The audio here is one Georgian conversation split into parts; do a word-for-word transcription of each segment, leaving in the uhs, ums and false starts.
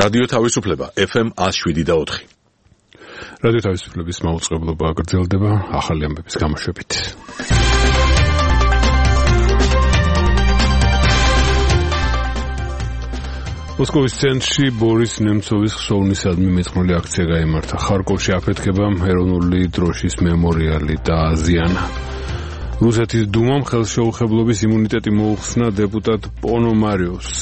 რადიო თავისუფლება ეფ ემ one oh seven point four. რადიო თავისუფლების მაუწყებლობა გრძელდება ახალი ამბების გამოშვებით. მოსკოვის ცენტრში ბორის ნემცოვის ხსოვნისადმი მეწყნული აქცია გაიმართა. ხარკოვში აფეთქებამ ეროვნული დროშის მემორიალი დააზიანა. რუსეთის დუმამ ხელშეუხებლობის იმუნიტეტი მოუხსნა დეპუტატ პონომარიოვს.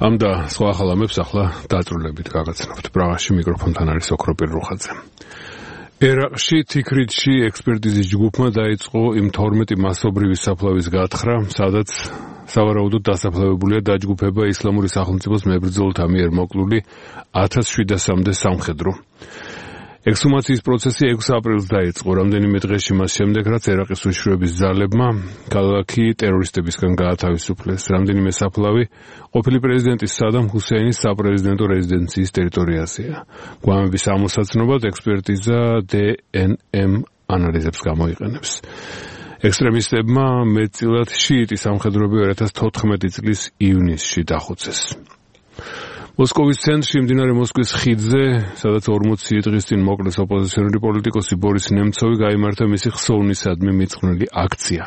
ამ და სხვა ახალ ამბებს ახლა დაწვრილებით გაგაცნობთ. პრაღაში მიკროფონთან არის ოქროპირ რუხაძე. ერაყში თიქრითში ექსპერტიზის ჯგუფმა დაიწყო იმ თორმეტი მასობრივი საფლავის გათხრა, სადაც სავარაუდოდ დასაფლავებულია დაჯგუფება ისლამური სახელმწიფოს მებრძოლთა მიერ მოკლული ათას შვიდასამდე სამხედრო. ექსჰუმაციის პროცესი ექვსი აპრილს დაიწყო, რამდენიმე დღეში მას შემდეგ, რაც ერაყის უშიშროების ძალებმა ქალაქი ტერორისტებისგან გაათავისუფლეს. რამდენიმე საფლავი ყოფილი პრეზიდენტის სადამ ჰუსეინის საპრეზიდენტო რეზიდენციის ტერიტორიაზეა. გვამების ამოსაცნობად ექსპერტიზა დე ენ ემ ანალიზებს გამოიყენებს. ექსტრემისტებმა მეტწილად შიიტი სამხედროები two thousand fourteen წლის ივნისში დახოცეს. მოსკოვის ცენტრში მდინარე მოსკვის ხიდზე, სადაც ორმოცი დღის წინ მოკლეს ოპოზიციონერი პოლიტიკოსი ბორის ნემცოვი, გაიმართა მისი ხსოვნისადმი მიწყნელი აქცია.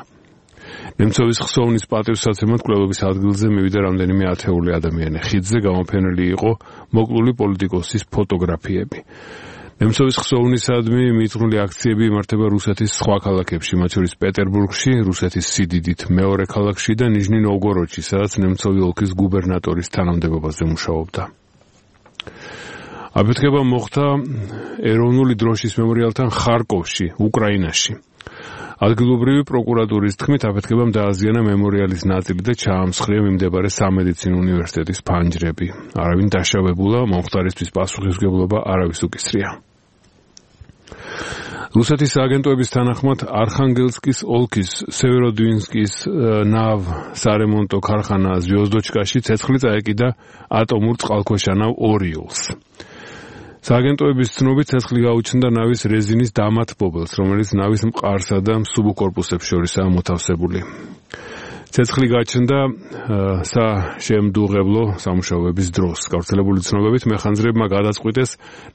ნემცოვის ხსოვნის პატივსაცემად კვლევების ადგილზე მივიდა რამდენიმე ათეული ადამიანი. ხიდზე გამოფენილი იყო მოკლული პოლიტიკოსის ფოტოგრაფიები. ნემცოვის ხსოვნისადმი მიწყნული აქციები იმართება რუსეთის სხვა ქალაქებში, მათ შორის პეტერბურგში, რუსეთის სიდიდით მეორე ქალაქში და ნიჟნი-ნოვგოროდში, სადაც ნემცოვი ოლქის გუბერნატორის თანამდებობაზე მუშაობდა. აფეთქება მოხდა ეროვნული დროშის მემორიალთან ხარკოვში, უკრაინაში. ადგილობრივი პროკურატურის თქმით, აფეთქებამ დააზიანა მემორიალის ნაწილი და ჩაამსხვრია მიმდებარე სამედიცინო უნივერსიტეტის ფანჯრები. არავინ დაშავებულა, მომხდარისთვის პასუხისმგებლობა არავის უკისრია. რუსეთის აგენტოების თანახმად არხანგელსკის ოლქის სევეროდვინსკის ნავ სარემონტო ქარხანა ზვიოზდოჩკაში ცეცხლი წაეკიდა ატომურ წყალქვეშა ნავ ორიოლს. სააგენტოების ცნობით ცეცხლი გაუჩნდა ნავის რეზინის დამათბობელს, რომელიც ნავის მყარსა და სუბკორპუსებს შორისაა მოთავსებული. ცეცხლი გაჩნდა საშემდუღებლო სამუშაოების დროს. გავრცელებული ცნობებით მეხანძრებმა გადაწყვიტეს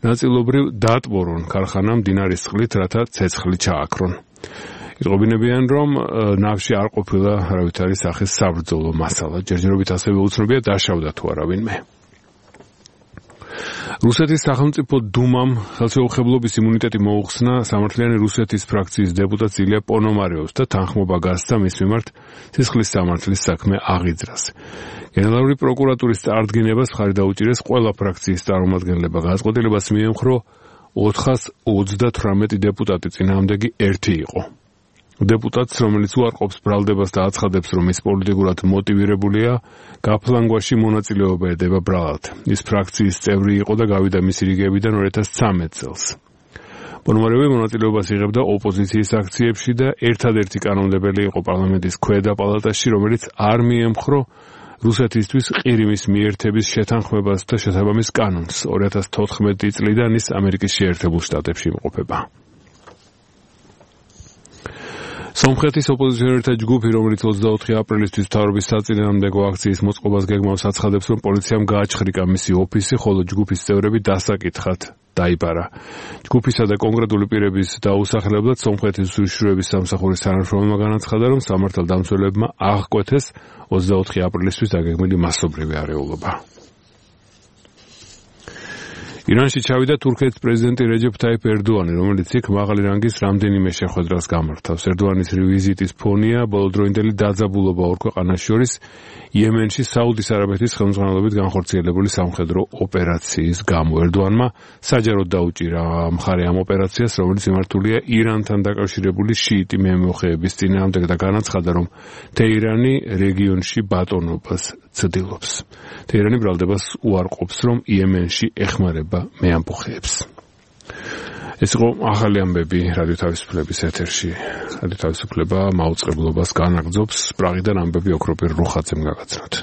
ნაწილობრივ დაატბორონ ქარხანა მდინარის წყლით, რათა ცეცხლი ჩააქრონ. იტყობინებიან, რომ ნავში არ ყოფილა არავითარი სახის საბრძოლო მასალა. ჯერჯერობით ასევე უცნობია დაშავდა თუ არა ვინმე. რუსეთის სახელმწიფო დუმამ ხელშეუხებლობის იმუნიტეტი მოუხსნა სამართლიანი რუსეთის ფრაქციის დეპუტატ ილია პონომარიოვს და თანხმობა გასცა მის მიმართ სისხლის სამართლის საქმე აღიძრას. გენერალური პროკურატურის წარდგინებას მხარი დაუჭირეს ყველა ფრაქციის წარმომადგენლებმა. გადაწყვეტილებას მიემხრო ოთხას ოცდათვრამეტი დეპუტატი, წინააღმდეგი ერთი იყო. დეპუტატს, რომელიც უარყოფს ბრალდებას და აცხადებს, რომ ის პოლიტიკურად მოტივირებულია, გაფლანგვაში მონაწილეობა ედება ბრალად. ის ფრაქციის წევრი იყო და გავიდა მისი რიგებიდან two thousand thirteen წელს. პონომარიოვი მონაწილეობას იღებდა ოპოზიციის აქციებში და ერთადერთი კანონმდებელი იყო პარლამენტის ქვედა პალატაში, რომელიც არ მიემხრო რუსეთისთვის ყირიმის მიერთების შეთანხმებას და შესაბამის კანონს. two thousand fourteen წლიდან ის ამერიკის შეერთებულ შტატებში იმყოფება. სომხეთის ოპოზიციონერთა ჯგუფი, რომელიც ოცდაოთხი აპრილისთვის მთავრობის საწინააღმდეგო აქციის მოწყობას გეგმავს, აცხადებს, რომ პოლიციამ გააჩხრიკა მისი ოფისი, ხოლო ჯგუფის წევრები დასაკითხად დაიბარა. ჯგუფისა და კონკრეტული პირების დაუსახლებლად სომხეთის უშიშროების სამსახურის თანამშრომელმა განაცხადა, რომ სამართალდამცველებმა აღკვეთეს ოცდაოთხი აპრილისთვის დაგეგმილი მასობრივი არეულობა. ირანში ჩავიდა თურქეთის პრეზიდენტი რეჯეფ თაიფ ერდოანი, რომელიც იქ მაღალი რანგის რამდენიმე შეხვედრას გამართავს. ერდოანის ვიზიტის ფონია ბოლოდროინდელი დაძაბულობა ორ ქვეყანას შორის იემენში საუდის არაბეთის ხელმძღვანელობით განხორციელებული სამხედრო ოპერაციის გამო. ერდოანმა საჯაროდ დაუჭირა მხარე ამ ოპერაციას, რომელიც მიმართულია ირანთან დაკავშირებული შიიტი მემოხეების წინააღმდეგ და განაცხადა, რომ თეირანი რეგიონში ბატონობას ცდილობს. თეირანი ბრალდებას უარყოფს, რომ იემენში ეხმარება მეამბოხეებს. ეს იყო ახალი ამბები რადიო თავისუფლების ეთერში. რადიო თავისუფლება მაუწყებლობას განაგრძობს. პრაღიდან ამბები ოქროპირ რუხაძემ გაგაცნოთ.